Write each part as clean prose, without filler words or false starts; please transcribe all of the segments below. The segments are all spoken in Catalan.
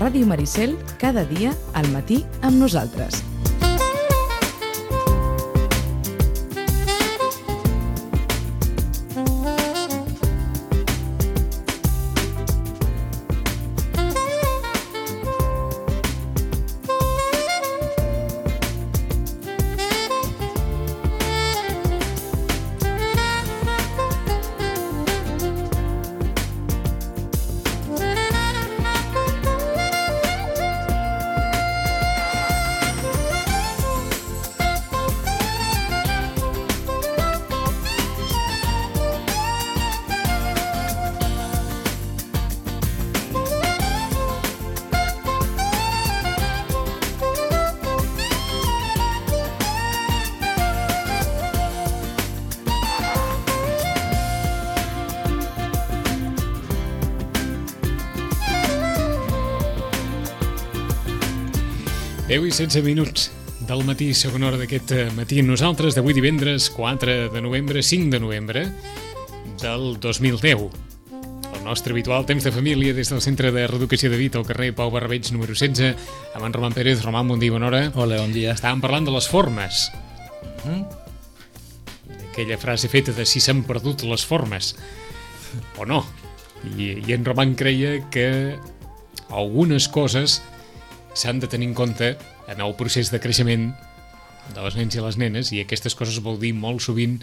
Ràdio Maricel, cada dia al matí amb nosaltres. I 16 minuts del matí, segona hora d'aquest matí amb nosaltres, d'avui divendres 4 de novembre, 5 de novembre del 2010. El nostre habitual temps de família des del Centre de Reeducació de Vita al carrer Pau Barrabeig número 16 amb en Roman Pérez. Roman, bon dia, bona hora. Hola, bon dia. Estàvem parlant de les formes. Aquella frase feta de si s'han perdut les formes o no. I en Roman creia que algunes coses s'han de tenir en compte en el procés de creixement dels nens i les nenes, i aquestes coses vol dir molt sovint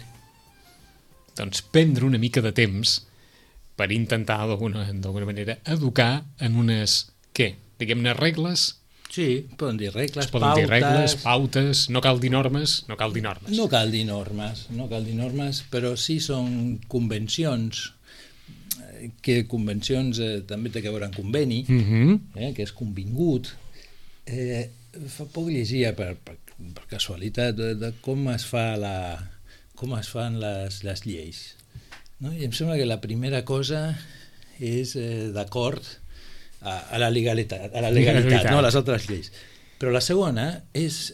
doncs prendre una mica de temps per intentar d'alguna manera educar en unes, diguem-ne regles? Sí, poden dir regles, pautes. Poden dir regles, pautes, no cal dir normes. No cal dir normes, però sí són convencions, que convencions també té que veure amb conveni, que és convingut. Fa poc llegia per casualitat de com es fan les lleis, no? I em sembla que la primera cosa és d'acord a la legalitat, no a les altres lleis, però la segona és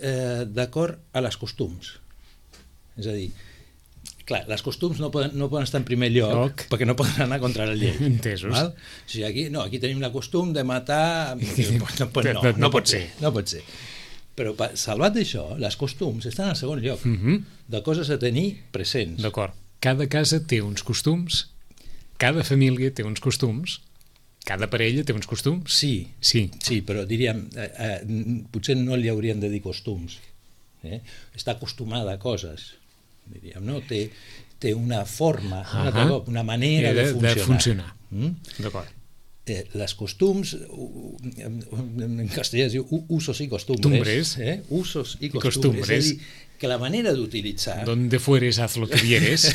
d'acord a les costums. És a dir, clar, les costums no poden estar en primer lloc perquè no poden anar contra la llei. Entesos. Val? O sigui, aquí tenim la costum de matar... No pot ser. No pot ser. Però salvat d'això, les costums estan al segon lloc, de coses a tenir presents. D'acord. Cada casa té uns costums, cada família té uns costums, cada parella té uns costums? Sí, però diríem, potser no li haurien de dir costums. Està acostumada a coses, diríem, no? Té una forma, una manera de funcionar. D'acord. Les costums, en castellà es diu usos y costumbres. Usos y costumbres. És a dir, que la manera d'utilitzar... Donde fueres, haz lo que vieres.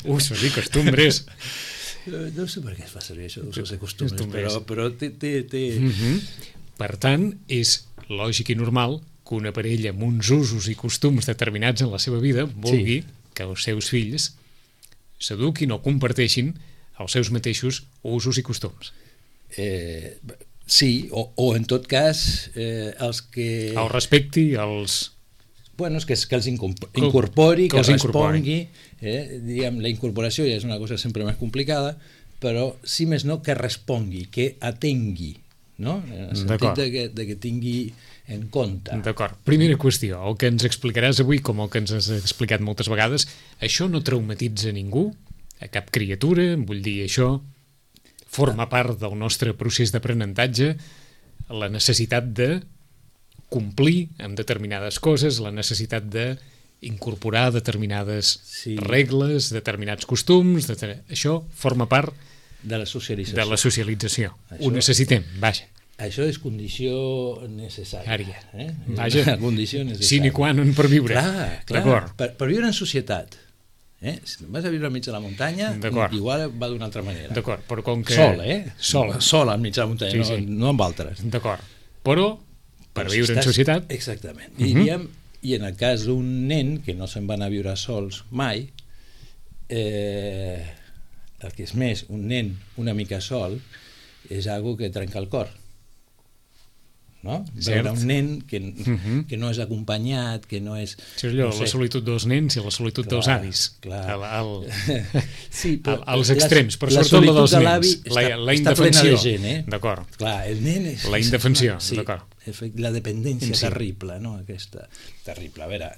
Usos y costumbres. No sé per què es fa servir això d'usos i costumbres, però té... Per tant, és lògic i normal que una parella amb uns usos i costums determinats en la seva vida vulgui que els seus fills s'eduquin o comparteixin els seus mateixos usos i costums. Sí, o en tot cas els que... El respecti, els... Bueno, és que els incorpori, que respongui. Diguem, la incorporació ja és una cosa sempre més complicada, però si més no, que respongui, que atengui, no? En el sentit de que tingui en compte. D'acord. Primera qüestió, el que ens explicaràs avui, com el que ens has explicat moltes vegades, això no traumatitza ningú, a cap criatura, vull dir, això forma part del nostre procés d'aprenentatge, la necessitat de complir amb determinades coses, la necessitat d'incorporar determinades regles, determinats costums, això forma part de la socialització. Això, ho necessitem, vaja. Això és condició necessària. Vaja, condició necessària. Sine qua non per viure. Clar. Per viure en societat. Si vas a viure al mig de la muntanya, igual va d'una altra manera. D'acord, però com que... Sol al mig de la muntanya, no amb altres. D'acord, però per viure en societat... Exactament. Diríem, i en el cas d'un nen que no se'n va anar a viure sols mai, el que és més, un nen una mica sol és algo que trenca el cor. no? Veure un nen que no és acompanyat, que no és... Això és allò, la solitud dels nens i la solitud dels avis. Clar. Sí, als extrems, però sobretot la dels nens. La indefensió. D'acord. Clar, el nen és... La indefensió, d'acord. La dependència terrible, no? Aquesta... Terrible, a veure...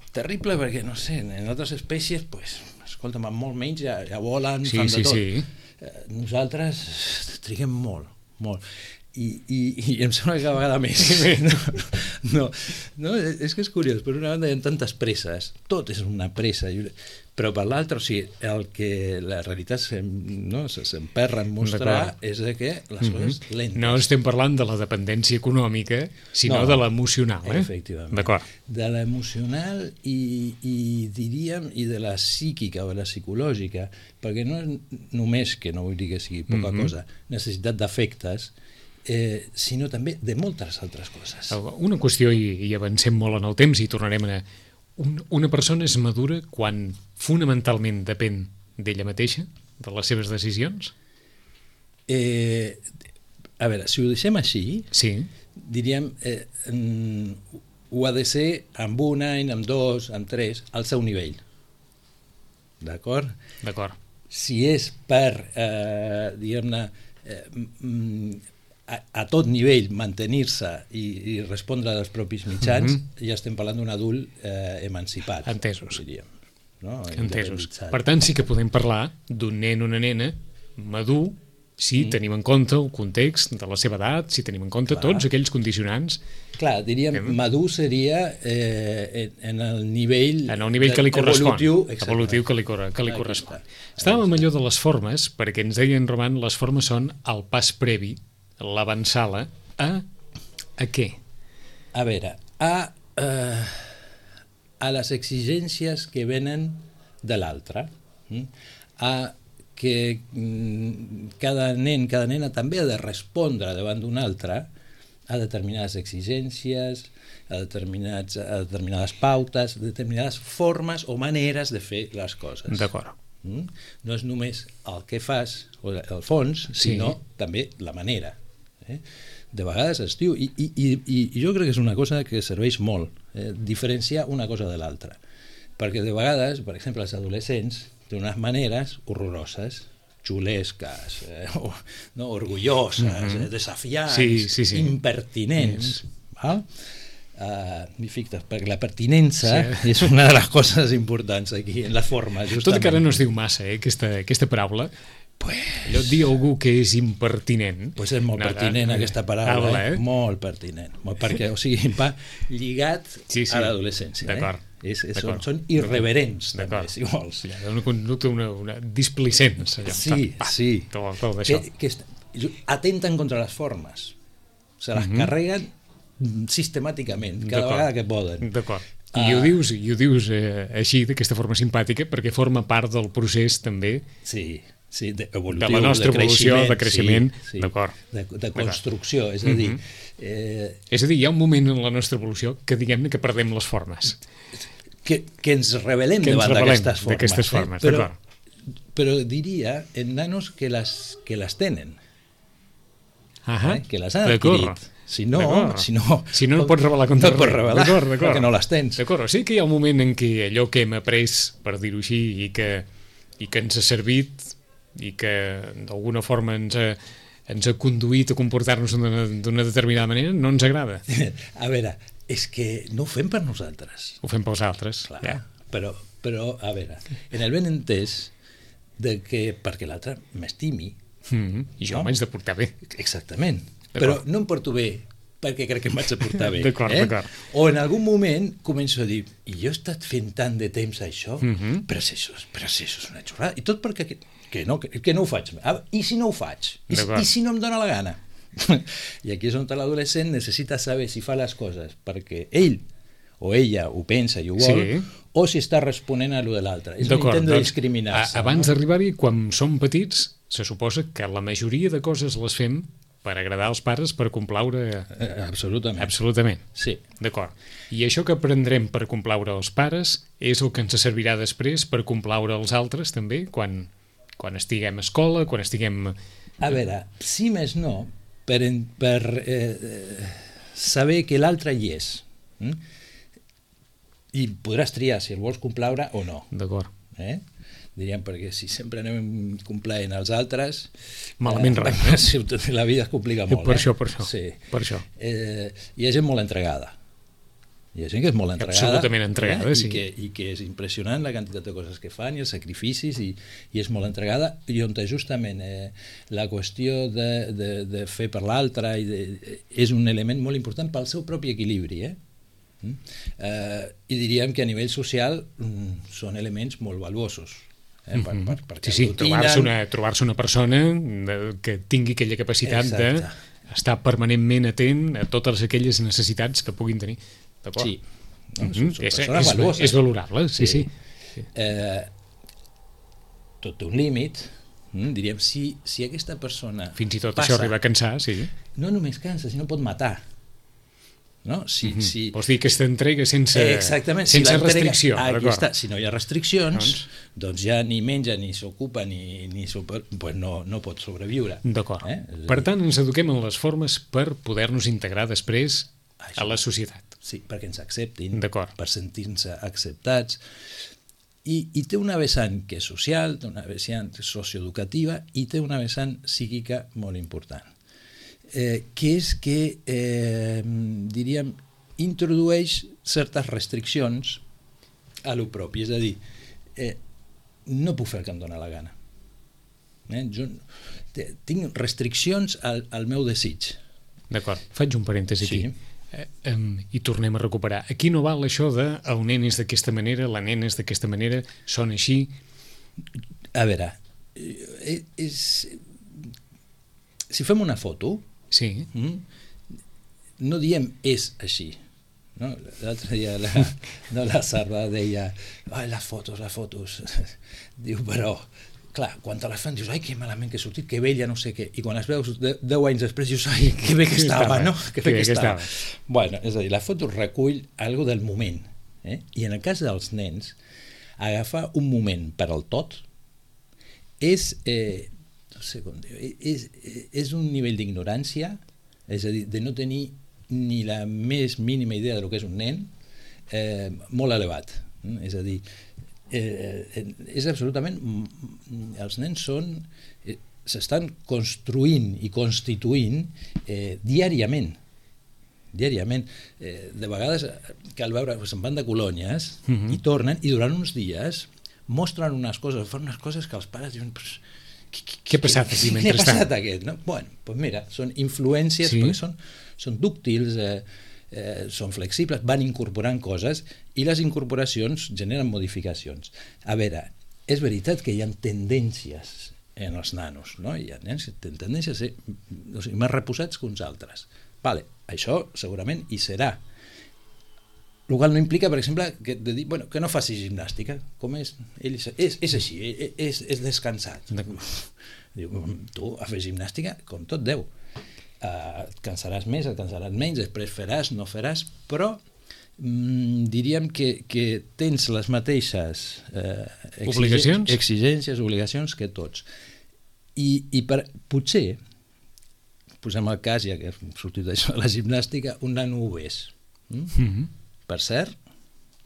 Terrible perquè, no sé, en altres espècies, pues, escolta'm, amb molt menys ja volen, fan de tot. Nosaltres triguem molt. I em sembla que cada vegada més. No, és que és curiós. Per una banda hi ha tantes presses, tot és una pressa, però per l'altra, o sigui, el que la realitat s'emperra en mostrar és que les coses lentes. No estem parlant de la dependència econòmica, sinó de l'emocional. Efectivament. D'acord. De l'emocional i diríem, i de la psíquica o de la psicològica, perquè no és només, que no vull dir que sigui poca cosa, necessitat d'afectes, sinó també de moltes altres coses. Una qüestió, i avancem molt en el temps i tornarem a... Una persona és madura quan fonamentalment depèn d'ella mateixa, de les seves decisions? A veure, si ho deixem així, diríem, ho ha de ser amb un any, amb dos, amb tres, al seu nivell. D'acord? D'acord. Si és per, diguem-ne, a tot nivell mantenir-se i respondre als propis mitjans, ja estem parlant d'un adult emancipat. Entesos. Diríem, no? Entesos. Per tant, sí que podem parlar d'un nen o una nena madur si tenim en compte el context de la seva edat, si tenim en compte tots aquells condicionants. Clar, diríem, madur seria en el nivell... En el nivell que li correspon. Evolutiu que li correspon. Estàvem amb allò de les formes, perquè ens deien, Roman, les formes són el pas previ, l'avançala, a què? A veure, a les exigències que venen de l'altre, a que cada nen, cada nena també ha de respondre davant d'un altre a determinades exigències, a determinades pautes, a determinades formes o maneres de fer les coses. D'acord. No és només el que fas, o el fons, sinó també la manera. De vegades es diu, i jo crec que és una cosa que serveix molt, diferenciar una cosa de l'altra, perquè de vegades, per exemple, els adolescents tenen unes maneres horroroses, xulesques, orgulloses, desafiants, impertinents, val? Perquè la pertinença és una de les coses importants aquí en la forma, justament. Tot que ara no es diu massa, aquesta paraula. Allò dir algú que és impertinent. Pues és molt pertinent aquesta paraula, molt pertinent, perquè, o sigui, va lligat a l'adolescència. D'acord. Són irreverents, també, si vols. Una conducta, una displicència. Sí. Que atenten contra les formes. Se les carreguen sistemàticament, cada vegada que poden. D'acord. I ho dius així, d'aquesta forma simpàtica, perquè forma part del procés també de la nostra evolució, de creixement, d'acord, de construcció, és a dir... És a dir, hi ha un moment en la nostra evolució que diguem-ne que perdem les formes. Que ens rebel·lem davant d'aquestes formes. Però diria en nanos que les tenen, que les han adquirit. Si no no pots revelar contra res. Perquè no les tens. D'acord, sí que hi ha un moment en què allò que hem après, per dir-ho així, i que ens ha servit i que d'alguna forma ens ha conduït a comportar-nos d'una determinada manera, no ens agrada. A veure, és que no ho fem per nosaltres. Ho fem pels altres. Clar, però, a veure, en el ben entès que perquè l'altre m'estimi. I jo m'haig de portar bé. Exactament. Però no em porto bé perquè crec que em vaig a portar bé. D'acord. O en algun moment començo a dir, i jo he estat fent tant de temps això, però si això és una xorrada. I tot perquè que no ho faig. I si no ho faig? I si no em dóna la gana? I aquí és on l'adolescent necessita saber si fa les coses perquè ell o ella ho pensa i ho vol, o si està responent a lo de l'altre. És un intent de discriminar-se. Abans d'arribar-hi, quan som petits, se suposa que la majoria de coses les fem per agradar als pares, per complaure... Absolutament. Sí. D'acord. I això que aprendrem per complaure els pares és el que ens servirà després per complaure els altres, també, quan estiguem a escola, quan estiguem... A veure, si més no, per saber que l'altre hi és. I podràs triar si el vols complaure o no. D'acord. Diríem, perquè si sempre anem complaent als altres, malament res. La vida es complica molt. Per això. Sí. Per això. Hi ha gent molt entregada. Hi ha gent que és molt entregada. Absolutament entregada, sí. I que és impressionant la quantitat de coses que fan i els sacrificis, i és molt entregada, i on justament la qüestió de fer per l'altre és un element molt important pel seu propi equilibri. I diríem que a nivell social són elements molt valuosos. Trobar-se una persona que tingui aquella capacitat d'estar permanentment atent a totes aquelles necessitats que puguin tenir. D'acord? Sí. És valorable, sí. Tot té un límit. Diríem, si aquesta persona fins i tot això arriba a cansar, sí. No només cansa, sinó pot matar. No? Vols dir aquesta entrega sense restricció. Si no hi ha restriccions, doncs ja ni menja, ni s'ocupa, pues no pot sobreviure. D'acord. Per tant, ens eduquem en les formes per poder-nos integrar després a la societat. Sí, perquè ens acceptin, per sentir-nos acceptats. I té una vessant que és social, té una vessant socioeducativa i té una vessant psíquica molt important. Que és que, diríem, introdueix certes restriccions a lo propi. És a dir, no puc fer el que em dóna la gana. Jo tinc restriccions al meu desig. D'acord, faig un parèntesi aquí. I tornem a recuperar. Aquí no val això de el nen és d'aquesta manera, la nena és d'aquesta manera, són així. A veure, si fem una foto, no diem és així. L'altre dia la Sarda deia les fotos. Diu, però clar, quan te les fan dius, ai, que malament que he sortit, que vella, no sé què, i quan les veus 10 anys després dius, ai, que bé que estava, no? Que bé que estava. Bueno, és a dir, la foto recull algo del moment, i en el cas dels nens, agafar un moment per al tot és no sé com dir, és un nivell d'ignorància, és a dir, de no tenir ni la més mínima idea de lo que és un nen, molt elevat. És a dir, és absolutament... Els nens s'estan construint i constituint diàriament. De vegades cal veure, se'n van de colònies i tornen, i durant uns dies mostren unes coses, fan unes coses que els pares diuen... Què ha passat aquí mentrestant? Què ha passat aquest? Bueno, doncs mira, són influències, perquè són dúctils, són flexibles, van incorporant coses, i les incorporacions generen modificacions. A veure, és veritat que hi ha tendències en els nanos, no? Hi ha nens que tenen tendències a ser més reposats que uns altres. Vale, això segurament hi serà. El qual no implica, per exemple, que no faci gimnàstica. Com és? Ell és així, és descansat. Diu, tu a fer gimnàstica com tot Déu. Et cansaràs més, et cansaràs menys, després faràs, no faràs, però diríem que tens les mateixes exigències, obligacions que tots. I potser, posem el cas, ja que hem sortit d'això de la gimnàstica, un nano obès. Per cert,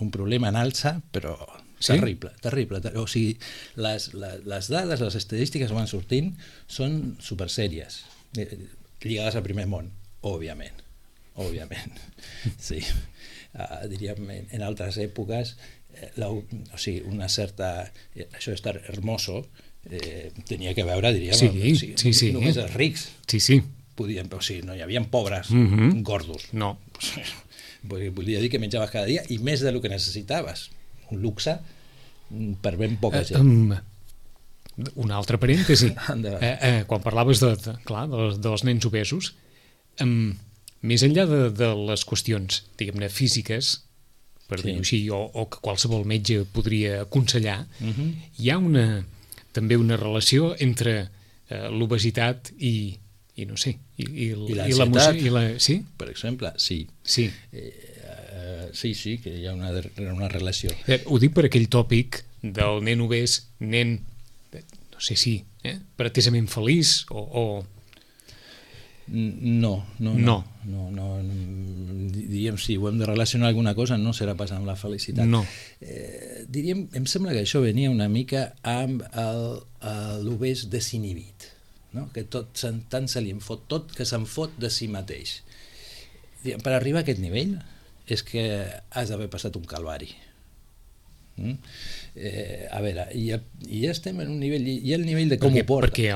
un problema en alça, però terrible. O sigui, les dades, les estadístiques que van sortint són supersèries, lligades al primer món, òbviament. Sí. Diríem, en altres èpoques, una certa... Això d'estar hermoso tenia que veure, diríem, només els rics. Podien, però sí, no hi havia pobres gordos. No. Volia dir que menjaves cada dia i més del que necessitaves. Un luxe per ben poca gent. Un altre parèntesi. Quan parlaves dels nens obesos, més enllà de les qüestions, diguem-ne, físiques, per dir-ho així, o que qualsevol metge podria aconsellar, hi ha també una relació entre l'obesitat i no sé, i l'ansietat, sí? Per exemple, sí. Sí, que hi ha una relació. Ho dic per aquell tòpic del nen obès, nen, no sé si, pretesament feliç o No. Diríem, si ho hem de relacionar alguna cosa, no serà pas amb la felicitat. No. Diríem, em sembla que això venia una mica amb l'obès desinhibit, no? Que tant se li en fot, tot que se'n fot de si mateix. Per arribar a aquest nivell és que has d'haver passat un calvari. A veure, ja estem en un nivell, i el nivell de com ho porta. Perquè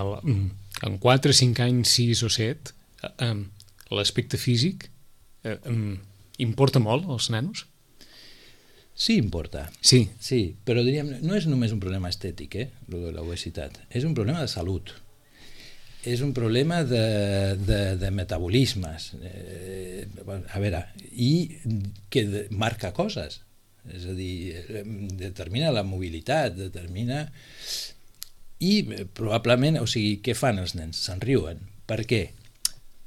en 4, 5 anys, 6 o 7, l'aspecte físic importa molt als nanos? Sí, importa. Sí, però diríem, no és només un problema estètic, l'obesitat, és un problema de salut. És un problema de metabolismes, a veure, i que marca coses, és a dir, determina la mobilitat, determina... I probablement, o sigui, què fan els nens? Se'n riuen. Per què?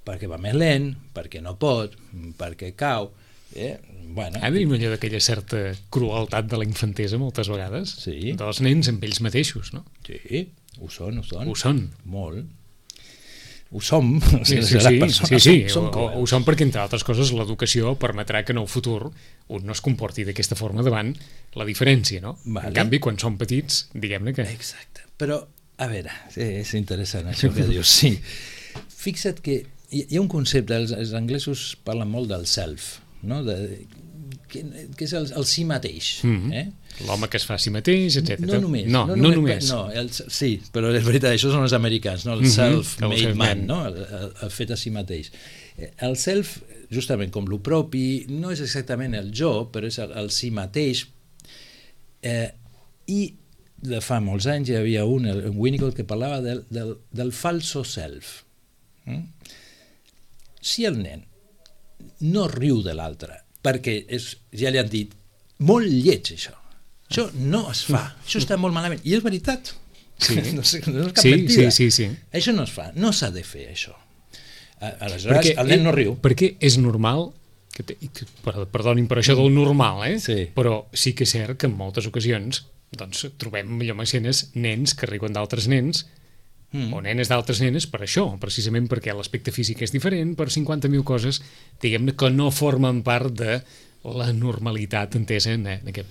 Perquè va més lent, perquè no pot, perquè cau... Bueno, tenim allò d'aquella certa crueltat de la infantesa moltes vegades, sí. Dels nens amb ells mateixos, no? Sí, ho són. Ho són. Molt. Ho som. Sí. Ho som perquè, entre altres coses, l'educació permetrà que en el futur un no es comporti d'aquesta forma davant la diferència, no? Vale. En canvi, quan són petits, diguem-ne que... Exacte. Però, a veure, és interessant això que dius, sí. Fixa't que hi ha un concepte, els anglesos parlen molt del self, no? Que és el si mateix. L'home que es fa a si mateix, etc. No només. No només. Sí, però és veritat, això són els americans, no? El self-made man, no? El fet a si mateix. El self, justament com lo propi, no és exactament el jo, però és el si mateix. I de fa molts anys hi havia un Winnicott, que parlava del falso self. Si el nen no riu de l'altre, perquè ja li han dit, molt lleig això no es fa, això està molt malament, i és veritat, sí. No és cap mentida. Sí. Això no es fa, no s'ha de fer això. Aleshores el nen no riu. Perquè és normal, perdonin per això del normal, Sí. Però sí que és cert que en moltes ocasions doncs, trobem allò escenes nens que riuen d'altres nens o nenes d'altres nenes per això, precisament perquè l'aspecte físic és diferent, per 50.000 coses, diguem-ne, que no formen part de la normalitat entesa en aquest.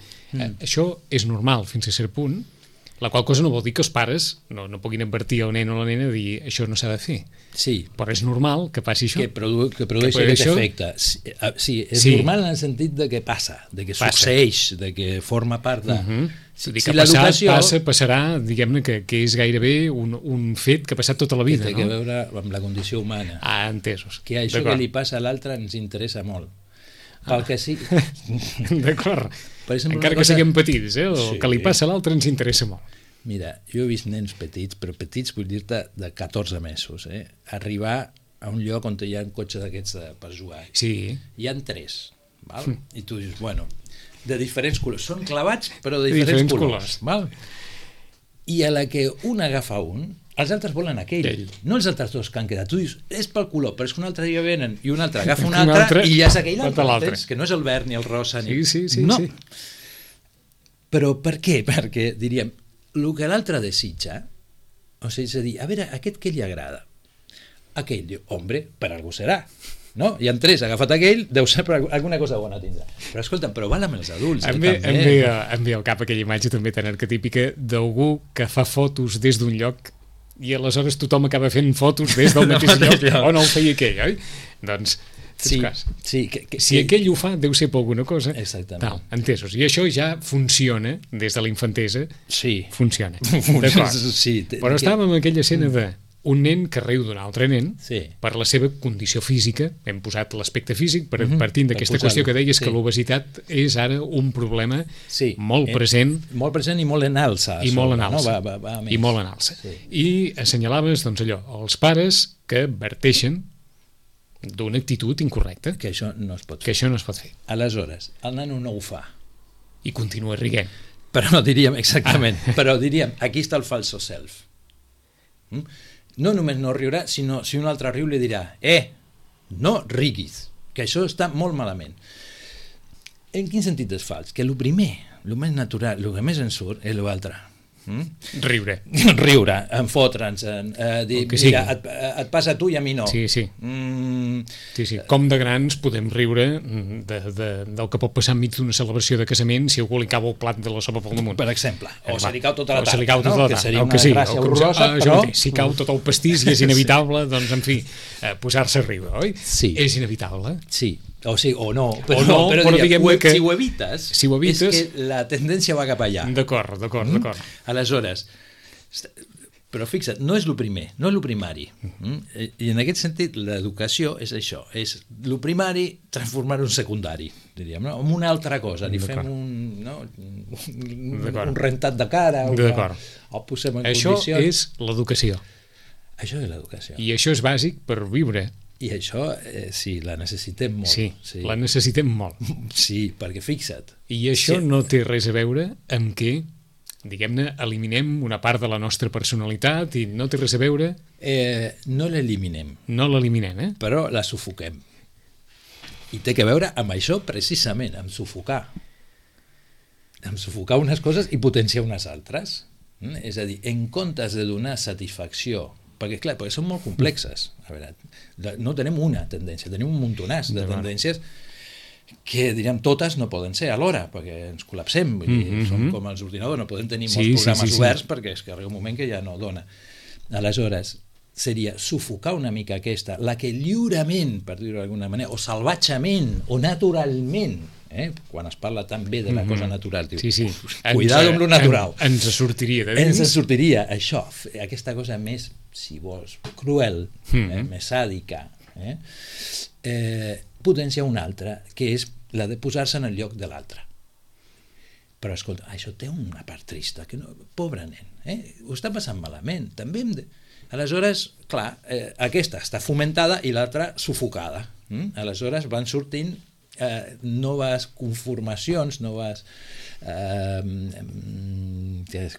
Això és normal fins a cert punt, la qual cosa no vol dir que els pares no puguin advertir al nen o a la nena i dir això no s'ha de fer. Sí. Però és normal que passi això. Que produeixi aquest efecte. Sí, és normal en el sentit de que passa, de que succeeix, de que forma part de... Si passarà, diguem-ne, que és gairebé un fet que ha passat tota la vida. Que té que veure amb la condició humana. Entesos. Que això que li passa a l'altre ens interessa molt. Pel que sí... D'acord. Encara que siguem petits, el que li passa a l'altre ens interessa molt. Mira, jo he vist nens petits, però petits vull dir-te de 14 mesos, arribar a un lloc on hi ha un cotxe d'aquests per jugar. Sí. Hi ha 3, val? I tu dius, bueno, de diferents colors. Són clavats, però de diferents colors. Val? I a la que un agafa un, els altres volen aquell. No els altres dos que han quedat. Tu dius, és pel color, però és que un altre dia venen i un altre agafa un altre i ja és aquell altre. Que no és el verd ni el rosa. Sí. No. Però per què? Perquè, diríem, el que l'altre desitja, o sigui, és a dir, a veure, aquest que li agrada. Aquell diu, hombre, per algú serà. No? Hi ha 3, ha agafat aquell, deu ser per alguna cosa bona tindrà. Però escolta, però val amb els adults. Em ve al cap aquella imatge també tan arquetípica d'algú que fa fotos des d'un lloc i aleshores tothom acaba fent fotos des del mateix lloc on el feia aquell, oi? Doncs, si aquell ho fa, deu ser per alguna cosa. Exactament. Entesos. I això ja funciona des de la infantesa. Sí. Funciona. Sí. Però estàvem en aquella escena de un nen que riu d'un altre nen per la seva condició física. Hem posat l'aspecte físic partint d'aquesta qüestió que deies que l'obesitat és ara un problema molt present. Molt present i molt en alça. I molt en alça. I assenyalaves, doncs allò, els pares que verteixen d'una actitud incorrecta. Que això no es pot fer. Aleshores, el nano no ho fa. I continua rient. Però diríem, exactament, però diríem, aquí està el falso self. No només no riurà, sinó si un altre riu li dirà no riguis, que això està molt malament. En quin sentit és fals? Que el primer, el més natural, el que més ens surt és l'altre. Riure, enfotre'ns, dir, mira, et passa a tu i a mi no. Sí. Com de grans podem riure del que pot passar enmig d'una celebració de casament si algú li cau el plat de la sopa pel damunt. Per exemple. O se li cau tota la tarda, que seria una gràcia horrorosa, però... Si cau tot el pastís i és inevitable, doncs, en fi, posar-se a riure, oi? Sí. És inevitable. Sí. O no, però diguem que si ho evites, és que la tendència va cap allà. D'acord. Aleshores, però fixa't, no és el primer, no és el primari. I en aquest sentit l'educació és això, és el primari transformar-ho en secundari, diríem, no? En una altra cosa, li fem un rentat de cara o posem en això condicions. Això és l'educació. Això és l'educació. I això és bàsic per viure. I això, sí, la necessitem molt. Sí, la necessitem molt. Sí, perquè fixa't. I això no té res a veure amb què, diguem-ne, eliminem una part de la nostra personalitat i no té res a veure... No l'eliminem. No l'eliminem, Però la sufoquem. I té que veure amb això precisament, amb sufocar. Amb sufocar unes coses i potenciar unes altres. És a dir, en comptes de donar satisfacció, perquè són molt complexes. A veure, no tenim una tendència, tenim un muntonàs de tendències que, diríem, totes no poden ser alhora, perquè ens col·lapsem, som com els ordinadors, no podem tenir molts programes oberts perquè és que arriba un moment que ja no dona. Aleshores, seria sufocar una mica aquesta, la que lliurement, per dir-ho d'alguna manera, o salvatgement, o naturalment, quan es parla tan bé de la cosa natural, diu, cuidado amb lo natural. Ens sortiria de dins. Ens sortiria això, aquesta cosa més, si vols, cruel, més sàdica, potenciar una altra, que és la de posar-se en el lloc de l'altre. Però, escolta, això té una part trista, que no, pobre nen, ho està passant malament, també hem de... Aleshores, clar, aquesta està fomentada i l'altra sufocada. Aleshores van sortint noves conformacions, noves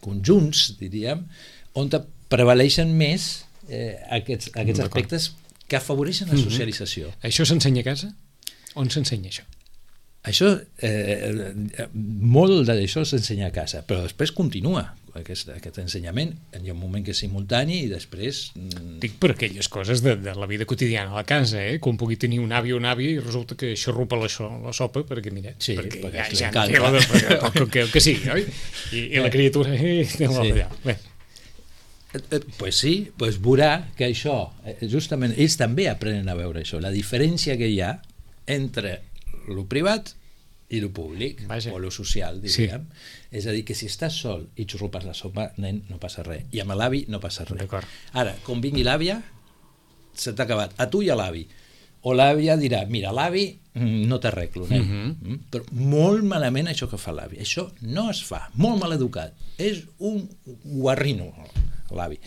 conjunts, diríem, on prevaleixen més aquests aspectes que afavoreixen la socialització. Això s'ensenya a casa? On s'ensenya això? Això, molt d'això s'ensenya a casa, però després continua aquest ensenyament. Hi ha un moment que és simultani i després... Dic per aquelles coses de la vida quotidiana a la casa, com pugui tenir un avi o una àvia i resulta que xarrupa la sopa perquè, mira, perquè ja no té el que sigui, oi? I la criatura allà. Bé. Pues sí, pues veurà que això, justament, ells també aprenen a veure això, la diferència que hi ha entre lo privat i lo públic, o lo social, diríem. És a dir, que si estàs sol i xurrupes la sopa, nen, no passa res. I amb l'avi no passa res. Ara, quan vingui l'àvia, se t'ha acabat. A tu i a l'avi. O l'àvia dirà, mira, l'avi no t'arreglo, nen. Però molt malament això que fa l'avi. Això no es fa. Molt mal educat. És un guarrino, l'avi.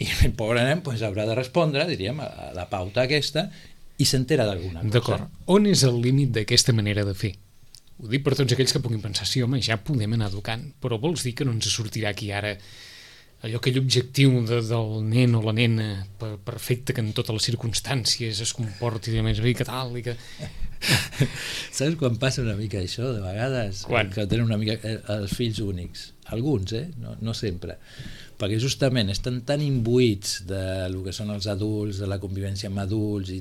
I el pobre nen haurà de respondre, diríem, a la pauta aquesta, i s'entera d'alguna cosa. D'acord. On és el límit d'aquesta manera de fer? Ho dic per tots aquells que puguin pensar, sí, home, ja podem anar educant, però vols dir que no ens sortirà aquí ara aquell objectiu del nen o la nena perfecte que en totes les circumstàncies es comporti de més bé que tal i que... Saps quan passa una mica això, de vegades? Quan? Que tenen una mica els fills únics. Alguns, no sempre. Perquè justament estan tan imbuïts del que són els adults, de la convivència amb adults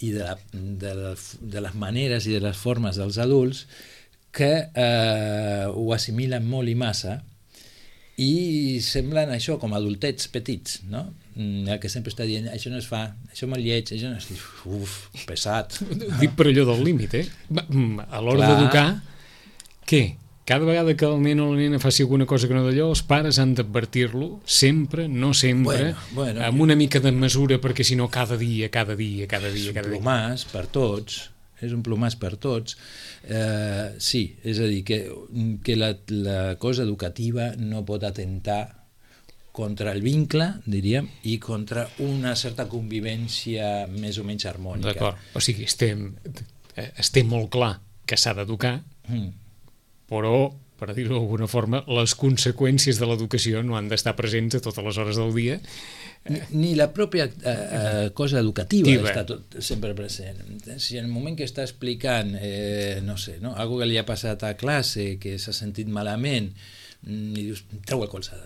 i de les maneres i de les formes dels adults que ho assimilen molt i massa i semblen això com adultets petits, no? El que sempre està dient, això no es fa, això molt lleig, això no es... pesat. Dic per allò del límit, a l'hora d'educar, què? Cada vegada que el nen o la nena faci alguna cosa que no d'allò, els pares han d'advertir-lo sempre, no sempre, amb una mica de mesura, perquè si no cada dia. És un plomàs per tots, sí, és a dir, que la cosa educativa no pot atentar contra el vincle, diríem, i contra una certa convivència més o menys harmònica. D'acord, o sigui, estem molt clar que s'ha d'educar, però, per dir-ho d'alguna forma, les conseqüències de l'educació no han d'estar presents a totes les hores del dia. Ni la pròpia cosa educativa està sempre present. Si en el moment que està explicant, no sé, algo que li ha passat a classe, que s'ha sentit malament, i dius, treu el colze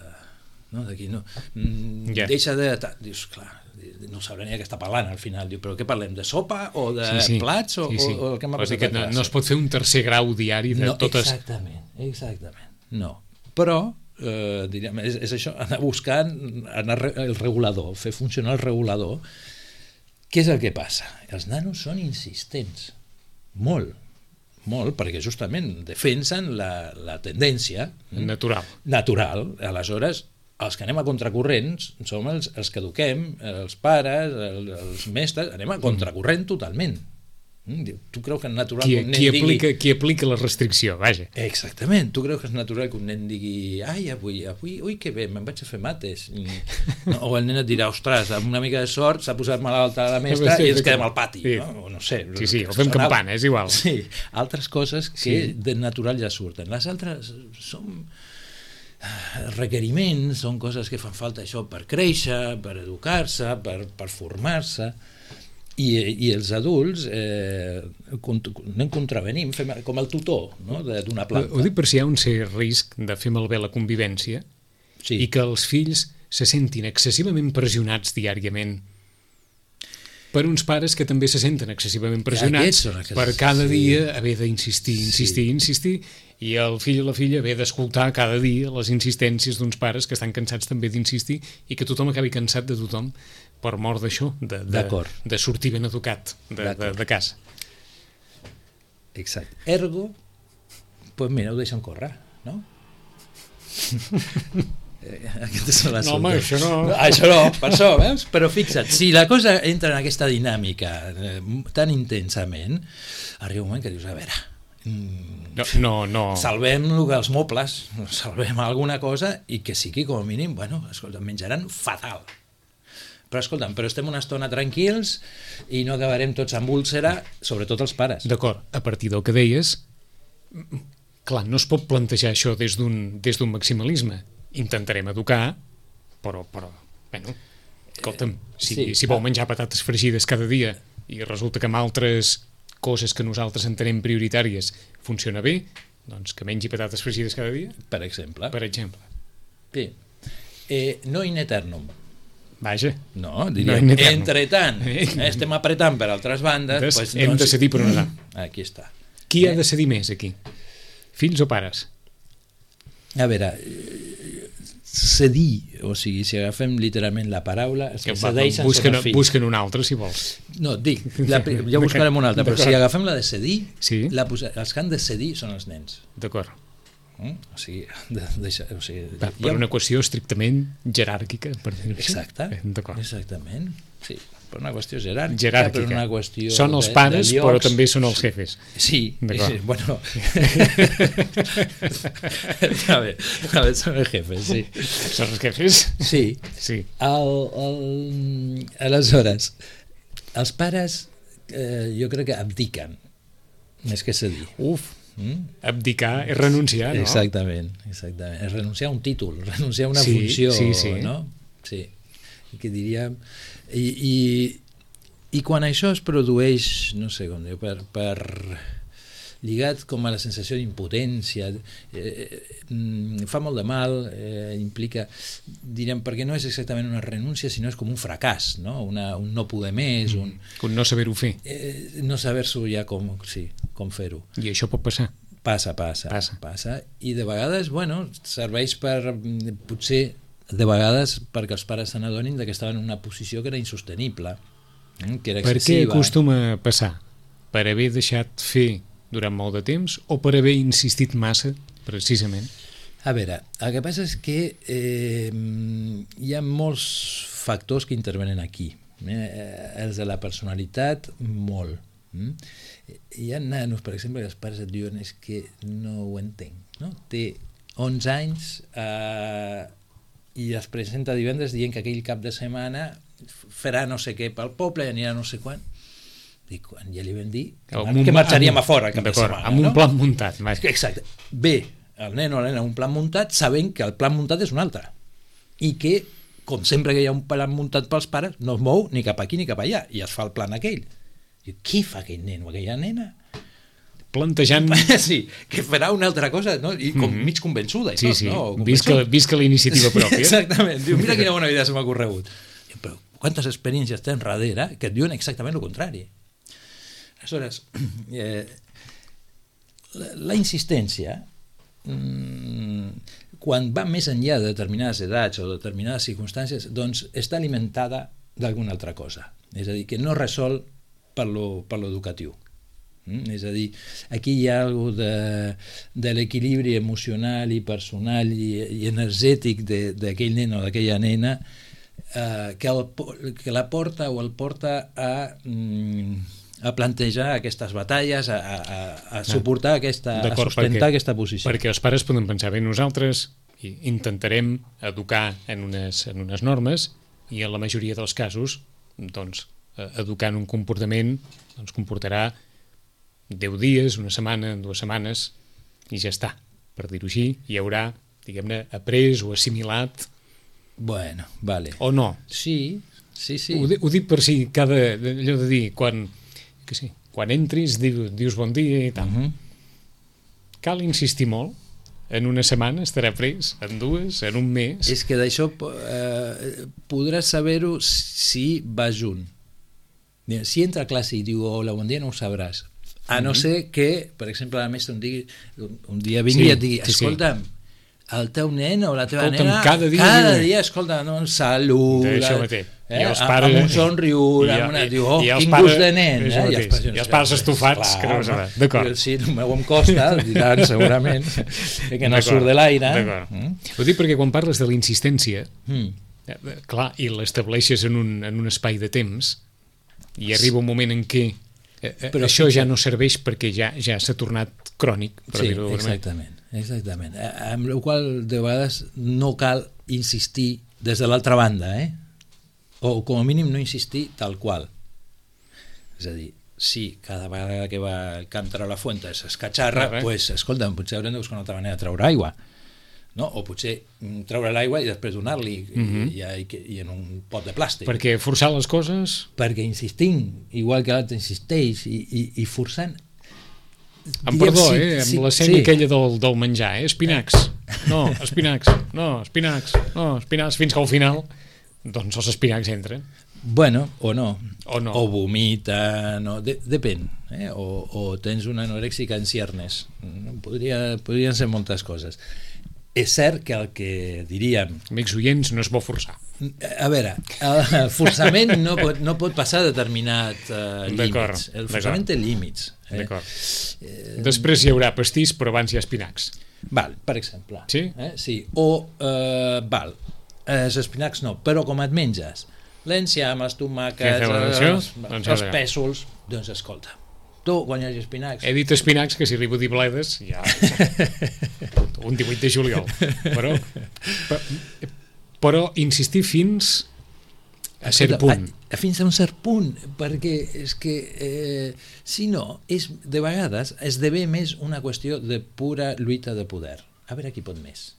d'aquí, no? Ja. Deixa de... Dius, clar, no sabrà ni què està parlant al final. Diu, però què parlem, de sopa o de plats o el que m'ha passat a classe? No es pot fer un tercer grau diari de totes... Exactament, no. Però, diríem, és això, anar buscant el regulador, fer funcionar el regulador. Què és el que passa? Els nanos són insistents, molt, perquè justament defensen la tendència natural. Aleshores, els que anem a contracorrents som els que eduquem, els pares, els mestres, anem a contracorrent totalment. Tu creus que és natural que un nen digui... Qui aplica la restricció, vaja. Exactament, tu creus que és natural que un nen digui ai, avui, ui, que bé, me'n vaig a fer mates. No, o el nen et dirà, ostres, amb una mica de sort s'ha posat malalta la mestra i ens quedem al pati. No? O no sé. Sí, o fem campana, és igual. Sí, altres coses que de natural ja surten. Les altres són requeriments, són coses que fan falta això per créixer, per educar-se, per formar-se. I els adults anem contravenim, fem com el tutor, no? D'una planta. Ho dic per si hi ha un cert risc de fer malbé la convivència i que els fills se sentin excessivament pressionats diàriament per uns pares que també se senten excessivament pressionats per cada dia haver d'insistir, insistir, i el fill o la filla haver d'escoltar cada dia les insistències d'uns pares que estan cansats també d'insistir i que tothom acabi cansat de tothom per mort d'això, de sortir ben educat de casa. Exacte. Ergo, doncs mira, ho deixen córrer, no? Aquestes són les home, això no. Això no, per això, veus? Però fixa't, si la cosa entra en aquesta dinàmica tan intensament, arriba un moment que dius, a veure, no. Salvem els mobles, salvem alguna cosa i que sigui com a mínim, bueno, escolta, menjaran fatal. Però escolta'm, però estem una estona tranquils i no acabarem tots amb úlcera, sobretot els pares. D'acord, a partir del que deies, clar, no es pot plantejar això des d'un maximalisme. Intentarem educar, però bueno, escolta'm, si vol menjar patates fregides cada dia i resulta que amb altres coses que nosaltres entenem prioritàries funciona bé, doncs que mengi patates fregides cada dia. Per exemple. Sí. No in eternum. Vaja. No, diríem, entre tant, estem apretant per altres bandes... Hem de cedir per on anar. Aquí està. Qui ha de cedir més, aquí? Fills o pares? A veure, cedir, o sigui, si agafem literalment la paraula, els que cedeixen són els fills. Busquen una altra, si vols. No, dic, ja buscarem una altra, però si agafem la de cedir, els que han de cedir són els nens. D'acord. O sigui, per una qüestió estrictament jeràrquica, per dir-ho així. Exactament, sí, per una qüestió jeràrquica. Per una qüestió són els pares, però també són els jefes. Sí, bueno. A veure, són els jefes, sí. Són els jefes? Sí. Aleshores, els pares jo crec que abdiquen, més que cedir. Abdicar és renunciar, no? Exactament, és renunciar a un títol, renunciar a una funció, no? Sí, que diríem... I quan això es produeix, no sé com diu, per lligat com a la sensació d'impotència, fa molt de mal, implica, diríem, perquè no és exactament una renúncia, sinó és com un fracàs, no? Un no poder més, un no saber-ho fer. No saber-s'ho ja com fer-ho. I això pot passar? Passa. I de vegades, bueno, serveix per, potser, de vegades, perquè els pares se n'adonin que estaven en una posició que era insostenible, que era excessiva. Per què acostuma a passar? Per haver deixat fer durant molt de temps o per haver insistit massa, precisament? A veure, el que passa és que hi ha molts factors que intervenen aquí. Els de la personalitat, molt. Hi ha nanos, per exemple, que els pares et diuen és que no ho entenc, no? Té 11 anys i es presenta divendres dient que aquell cap de setmana farà no sé què pel poble i anirà no sé quan. Dic, quan ja li vam dir que marxaríem a fora cap de setmana. Amb un plan muntat. Exacte. Bé, el nen o la nena un plan muntat sabent que el plan muntat és un altre i que, com sempre que hi ha un plan muntat pels pares, no es mou ni cap aquí ni cap allà i es fa el plan aquell. Diu, què fa aquell nen o aquella nena? plantejant... Sí, que farà una altra cosa, no? I com mig convençuda. I Sí, tot, sí, no? visca la iniciativa pròpia. Exactament. Diu, mira quina bona idea se m'ha ocorregut. Però quantes experiències tens darrere que et diuen exactament el contrari. Aleshores, la insistència, quan va més enllà de determinades edats o determinades circumstàncies, doncs està alimentada d'alguna altra cosa. És a dir, que no resol per lo educatiu. És a dir, aquí hi ha alguna de l'equilibri emocional i personal i energètic d'aquell nen o d'aquella nena que la porta o el porta a plantejar aquestes batalles, a suportar a sustentar aquesta posició. Perquè els pares poden pensar, bé, nosaltres intentarem educar en unes normes i en la majoria dels casos, doncs, educar en un comportament doncs, comportarà 10 dies, una setmana, 2 setmanes, i ja està. Per dir-ho així, hi haurà, diguem-ne, après o assimilat. Bueno, vale. O no? Sí. Ho dic per si allò de dir, quan entris dius bon dia i tal. Cal insistir molt? En una setmana estarà pres? En 2? En un mes? És que d'això podràs saber-ho si va junt. Si entra a classe i diu hola, bon dia, no ho sabràs. A no ser que, per exemple, la mestra un dia vingui i et digui, escolta'm, el teu nen o la teva nena cada dia escolta, no, saluda, amb un somriure, quin gust de nen, i els pares estufats, que no ho sabrà. D'acord. Sí, el meu em costa, diran segurament, que no surt de l'aire. Ho dic perquè quan parles de la insistència, clar, i l'estableixes en un espai de temps, i arriba un moment en què però això ja no serveix perquè ja s'ha tornat crònic, per dir-ho d'alguna manera. Exactament. Amb la qual de vegades no cal insistir des de l'altra banda, o com a mínim no insistir tal qual. És a dir, si cada vegada que va el cantar a la fuente s'escatxarra, doncs, escolta'm, potser haurem de buscar una altra manera de treure aigua. No? O potser treure l'aigua i després donar-li i en un pot de plàstic. Perquè forçar les coses... Perquè insistint, igual que l'altre insisteix i forçant... Amb perdó, amb l'escena aquella del menjar, espinacs, espinacs, fins que al final doncs els espinacs entren. Bueno, o no. O vomita, depèn. O tens una anorèxica en ciernes. Podrien ser moltes coses. És cert que el que diríem... Amics oients, no és bo forçar. A veure, el forçament no pot passar determinat límits. El forçament té límits. Després hi haurà pastís, però abans hi ha espinacs. Val, per exemple. Sí? Sí. O, els espinacs no, però com et menges l'enciam, les tomàquets, els pèsols, doncs escolta, tu, quan hi hagi espinacs... He dit espinacs, que si arribo a dir bledes, ja... un 18 de juliol. Però insistir fins a cert punt. Fins a un cert punt, perquè és que, si no, de vegades esdevé més una qüestió de pura lluita de poder. A veure qui pot més.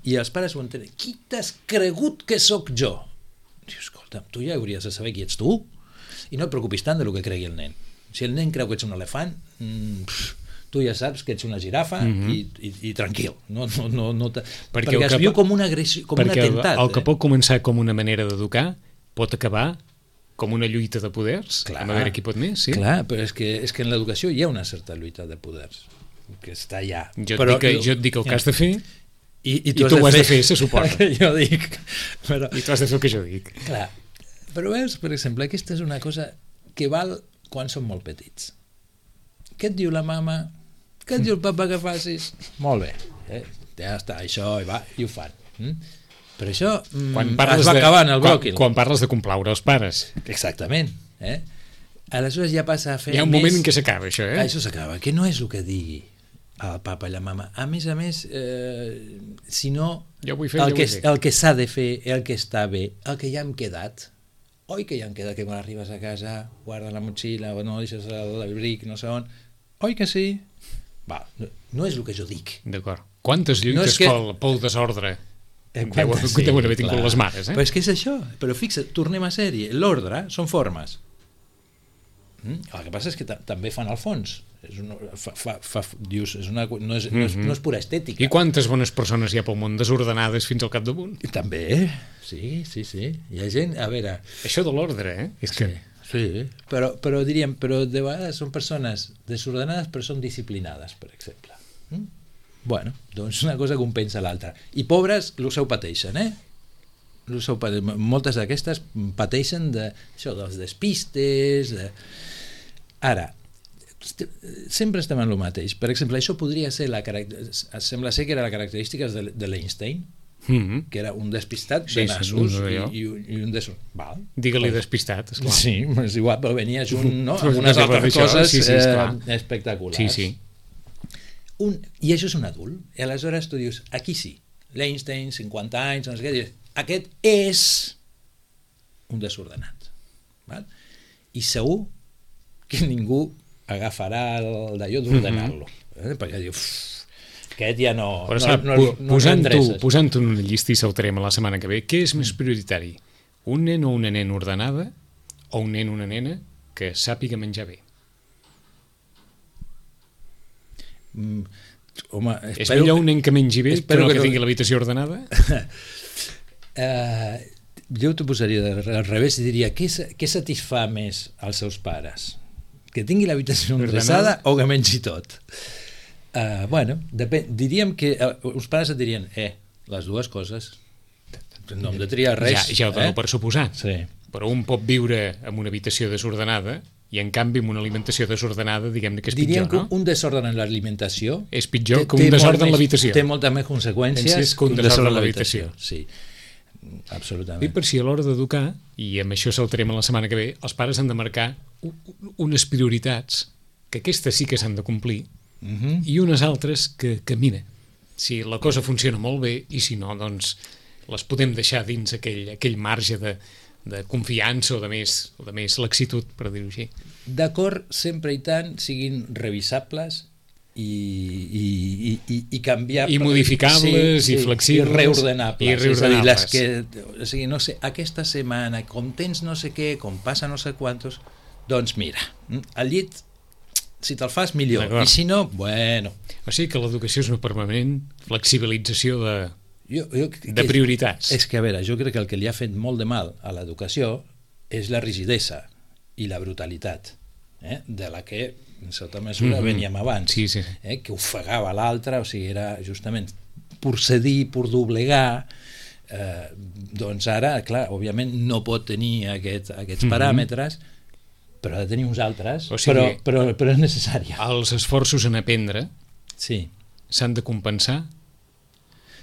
I els pares ho entenen. Qui t'has cregut que sóc jo? Diu, escolta, tu ja hauries de saber qui ets tu. I no et preocupis tant del que cregui el nen. Si el nen creu que ets un elefant, tu ja saps que ets una girafa i tranquil. Perquè es viu com una agressió, com un atemptat. Perquè el que pot començar com una manera d'educar pot acabar com una lluita de poders. A veure qui pot més, sí? Clar, però és que en l'educació hi ha una certa lluita de poders, que està allà. Jo et dic el que has de fer i tu ho has de fer, se suposa. Jo dic. I tu has de fer el que jo dic. Clar. Però veus, per exemple, aquesta és una cosa que val quan són molt petits. Què et diu la mama? Què et diu el papa que facis? Molt bé, ja està, això, i ho fan. Però això es va acabant el bròquil. Quan parles de complaure els pares. Exactament. Aleshores ja passa a fer... Hi ha un moment en què s'acaba, això, Això s'acaba, que no és el que digui el papa i la mama. A més, sinó el que s'ha de fer, el que està bé, el que ja hem quedat. Oi que ja em queda que quan arribes a casa guarda la motxilla o no deixes l'abric, no sé on. Oi que sí? Va, no és el que jo dic. D'acord. Quantes lluites pel desordre deuen haver tingut les mares, Però és que és això. Però fixa't, tornem a sèrie. L'ordre són formes. El que passa és que també fan el fons. dius, no és pura estètica. I quantes bones persones hi ha pel món desordenades fins al capdamunt? També, sí. Hi ha gent, a veure... Això de l'ordre, és que... Sí, però diríem, però de vegades són persones desordenades però són disciplinades, per exemple. Bueno, doncs una cosa compensa l'altra. I pobres, ho pateixen, moltes d'aquestes pateixen això dels despistes. Ara, sempre estem en el mateix. Per exemple, això podria ser sembla ser que era la característica de l'Einstein, que era un despistat de nassos i un desordenat. Digue-li despistat, esclar. Sí, és igual, però venia junt, no? Amb unes altres coses espectaculars. Sí. I això és un adult. I aleshores tu dius, aquí sí, l'Einstein, 50 anys, no sé què, dius, aquest és un desordenat. Val? I segur que ningú agafarà d'allò d'ordenar-lo. Perquè diu, aquest ja no posant-ho en una llista i saltarem a la setmana que ve, què és més prioritari? Un nen o una nena ordenada o un nen o una nena que sàpiga menjar bé? Home, és millor un nen que mengi bé que no que tingui l'habitació ordenada? Jo t'ho posaria al revés i diria, què satisfà més als seus pares? Que tingui l'habitació ordenada o que mengi tot? Bueno, diríem que els pares et dirien, les dues coses, no hem de triar res. Ja ho dono per suposat, sí. Però un pot viure en una habitació desordenada i en canvi amb una alimentació desordenada diguem-ne que és pitjor, no? Diríem que un desordre en l'alimentació és pitjor que un desordre en l'habitació. Té moltes més conseqüències que un desordre en l'habitació. Sí, absolutament. I per si a l'hora d'educar, i amb això saltarem a la setmana que ve, els pares han de marcar unes prioritats que aquestes sí que s'han de complir i unes altres que mira, si la cosa funciona molt bé i si no, doncs les podem deixar dins aquell marge de confiança o de més laxitud, per dir-ho així. D'acord, sempre i tant siguin revisables i canviar... I modificables, i flexibles. I reordenables. És a dir, no sé, aquesta setmana, com tens no sé què, com passa no sé quantos, doncs mira, al llit, si te'l fas, millor. I si no, bueno... O sigui que l'educació és una permanent flexibilització de prioritats. És que, a veure, jo crec que el que li ha fet molt de mal a l'educació és la rigidesa i la brutalitat, de la que en certa mesura veníem abans, que ofegava l'altre, o sigui, era justament per cedir, per doblegar, doncs ara, clar, òbviament no pot tenir aquests paràmetres, però ha de tenir uns altres, però és necessària. Els esforços en aprendre s'han de compensar?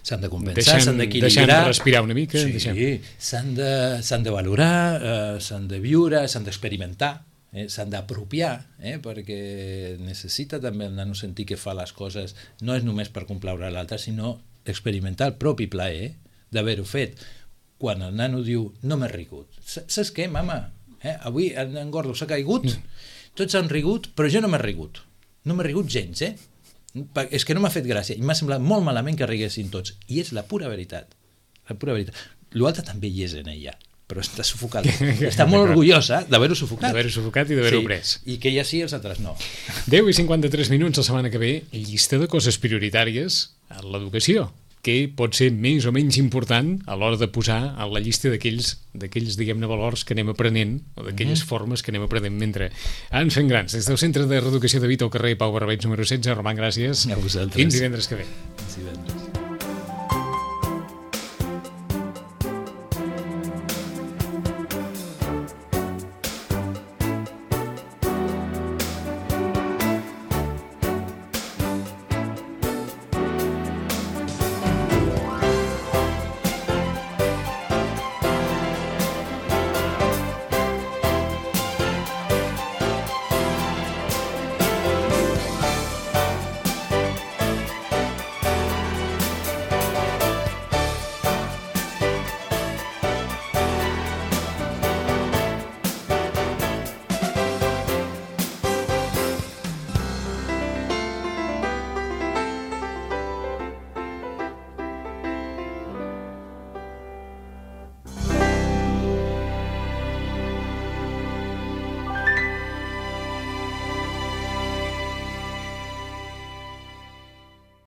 S'han de compensar, s'han d'equilibrar. Deixant respirar una mica? Sí, s'han de valorar, s'han de viure, s'han d'experimentar, s'han d'apropiar, perquè necessita també el nano sentir que fa les coses, no és només per complaure l'altre, sinó experimentar el propi plaer d'haver-ho fet. Quan el nano diu, no m'he rigut. Saps què, mama? Avui en Gordo s'ha caigut, tots han rigut, però jo no m'he rigut. No m'he rigut gens, és que no m'ha fet gràcia i m'ha semblat molt malament que riguessin tots, i és la pura veritat. L'altre també hi és en ella, però està sufocat, està molt orgullosa d'haver-ho sufocat i d'haver-ho pres, i que ella sí, els altres no. 10 i 53 minuts la setmana que ve, llista de coses prioritàries a l'educació, que pot ser més o menys important a l'hora de posar a la llista d'aquells diguem-ne, valors que anem aprenent, o d'aquelles formes que anem aprenent mentre ens fem grans. Des del Centre de Reeducació de Vita al carrer Pau Barberets número 16, Roman, gràcies. A vosaltres. Fins divendres que ve. Fins divendres.